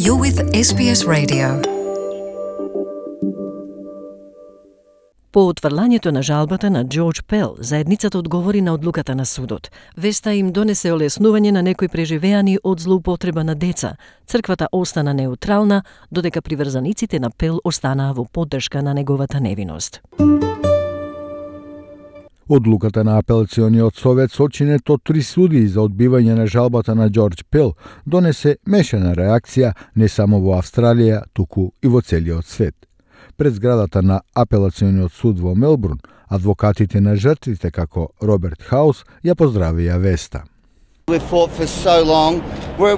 You're with SBS Radio. По отврлањето на жалбата на Джордж Пел, заедницата одговори на одлуката на судот. Веста им донесе олеснување на некои преживеани од злоупотреба на деца. Црквата остана неутрална, додека приврзаниците на Пел останаа во поддршка на неговата невиност. Одлуката на апелациониот совет со очинето 3 судии за одбивање на жалбата на Джордж Пел донесе мешана реакција не само во Австралија, туку и во целиот свет. Пред зградата на апелациониот суд во Мелбурн, адвокатите на жртвите како Роберт Хаус ја поздравија веста. We've fought for so long. We're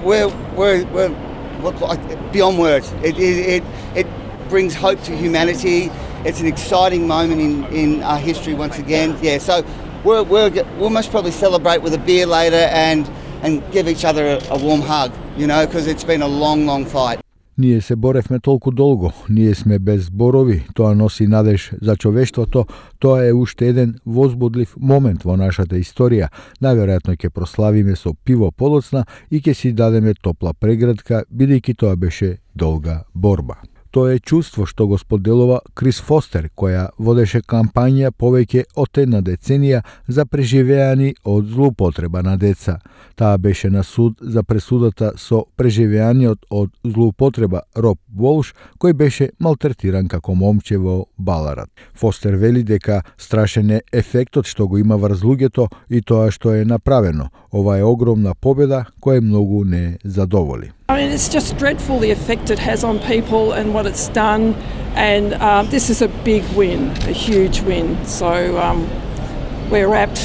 beyond words. It brings hope to humanity. It's an exciting moment in our history once again. Yeah, so we'll most probably celebrate with a beer later and give each other a warm hug, you know, because it's been a long fight. Ние се боревме толку долго, ние сме без зборови, тоа носи надеж за човештвото, тоа е уште еден возбудлив момент во нашата историја. Најверојатно ќе прославиме со пиво подоцна и ќе си дадеме топла преградка, бидејќи тоа беше долга борба. Тоа е чувство што го споделува Крис Фостер, која водеше кампања повеќе од една деценија за преживеани од злоупотреба на деца. Таа беше на суд за пресудата со преживеаниот од злоупотреба Роб Волш, кој беше малтретиран како момче во Баларат. Фостер вели дека страшен е ефектот што го има врз луѓето и тоа што е направено. Ова е огромна победа која многу не задоволи. I mean, it's just dreadful the effect it has on people and what it's done, and this is a big win, a huge win, so we're rapt.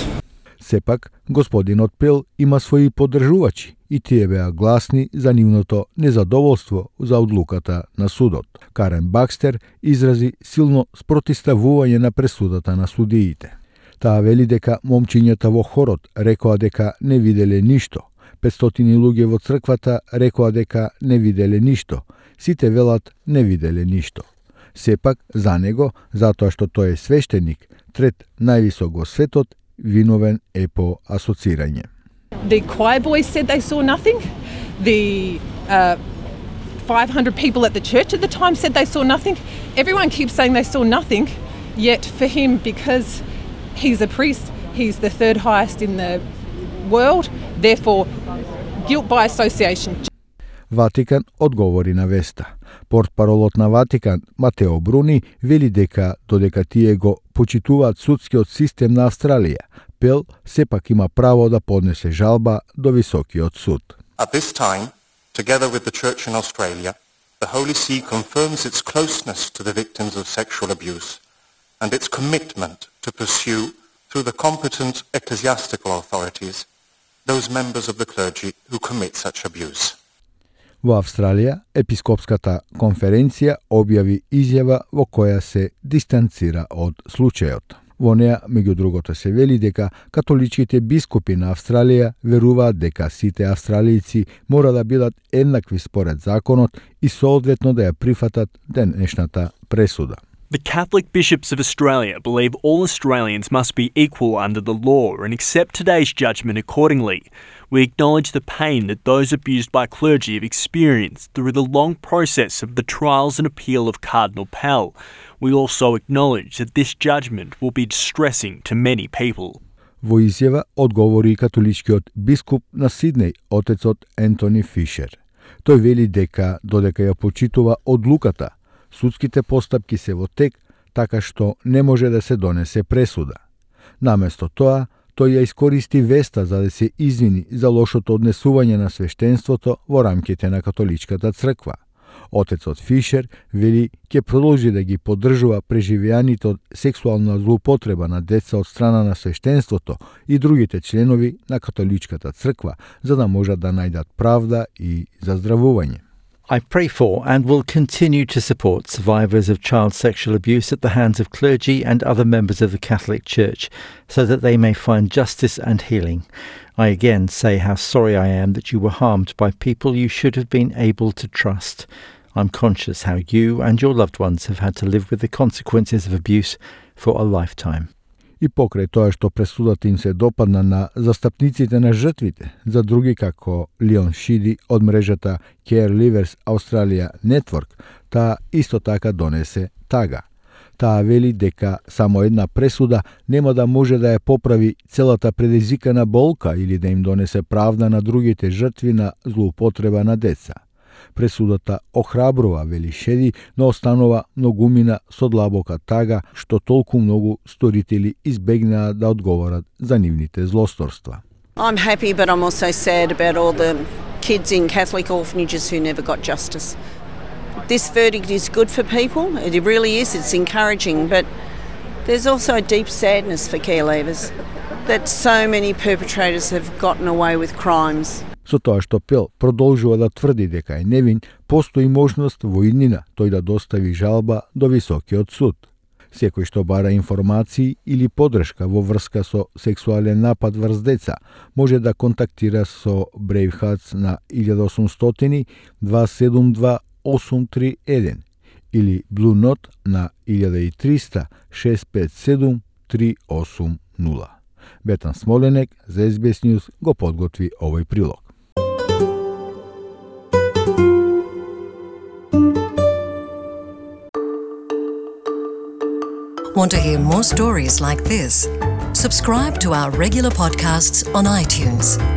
Сепак, господинот Пел има своји поддржувачи и тие беа гласни за нивното незадоволство за одлуката на судот. Карен Бакстер изрази силно спротивставување на пресудата на судиите. Таа вели дека момчињата во хорот рекоа дека не виделе ништо. 500 луѓе во црквата рекоа дека не виделе ништо. Сите велат не виделе ништо. Сепак, за него, затоа што тој е свештеник, трет највисок во светот, виновен е по асоцирање. The choir boys said they saw nothing. The 500 people at the church at the time said they saw nothing. Everyone keeps saying they saw nothing, yet for him, because he's a priest, he's the third highest in the world, therefore guilt by association. Ватикан одговори на веста. Портпаролот на Ватикан, Матео Бруни, вели дека додека тие го почитуваат судскиот систем на Австралија, Пел сепак има право да поднесе жалба до високиот суд. At this time, together with the Church in Australia, the Holy See confirms its closeness to the victims of sexual abuse and its commitment to pursue, through the competent ecclesiastical authorities, those members of the clergy who commit such abuse. Во Австралија, епископската конференција објави изјава во која се дистанцира од случајот. Во неа, меѓу другото, се вели дека католичките бискупи на Австралија веруваат дека сите австралијци мора да бидат еднакви според законот и соодветно да ја прифатат денешната пресуда. The Catholic bishops of Australia believe all Australians must be equal under the law and accept today's judgment accordingly. We acknowledge the pain that those abused by clergy have experienced through the long process of the trials and appeal of Cardinal Pell. We also acknowledge that this judgment will be distressing to many people. Во изјава одговори католичкиот бискуп на Сиднеј, отецот Ентони Фишер. Тој вели дека додека ја почитува одлуката, судските постапки се во тек, така што не може да се донесе пресуда. Наместо тоа, тој ја искористи веста за да се извини за лошото однесување на свештенството во рамките на католичката црква. Отецот Фишер вели ќе продолжи да ги поддржува преживеаните од сексуална злоупотреба на деца од страна на свештенството и другите членови на католичката црква, за да можат да најдат правда и заздравување. I pray for and will continue to support survivors of child sexual abuse at the hands of clergy and other members of the Catholic Church so that they may find justice and healing. I again say how sorry I am that you were harmed by people you should have been able to trust. I'm conscious how you and your loved ones have had to live with the consequences of abuse for a lifetime. И покрај тоа што пресудата им се допадна на застапниците на жртвите, за други како Лион Шиди од мрежата Care Livers Australia Network, таа исто така донесе тага. Таа вели дека само една пресуда нема да може да ја поправи целата предизвикана болка или да им донесе правда на другите жртви на злоупотреба на деца. Пресудата охрабрува, вели Шеди, но останува многумина со длабока тага што толку многу сторители избегнаа да одговорат за нивните злосторства. I'm happy, but I'm also sad about all the kids in Catholic orphanages who never got justice. This verdict is good for people, it really is, it's encouraging, but there's also a deep sadness for care leavers that so many perpetrators have gotten away with crimes. Со тоа што Пел продолжува да тврди дека е невин, постои можност во иднина тој да достави жалба до Високиот суд. Секој што бара информации или подршка во врска со сексуален напад врз деца, може да контактира со Brave Hearts на 1800 272 831 или Blue Note на 1300 657 380. Бетан Смоленек за SBS News го подготви овој прилог. Want to hear more stories like this? Subscribe to our regular podcasts on iTunes.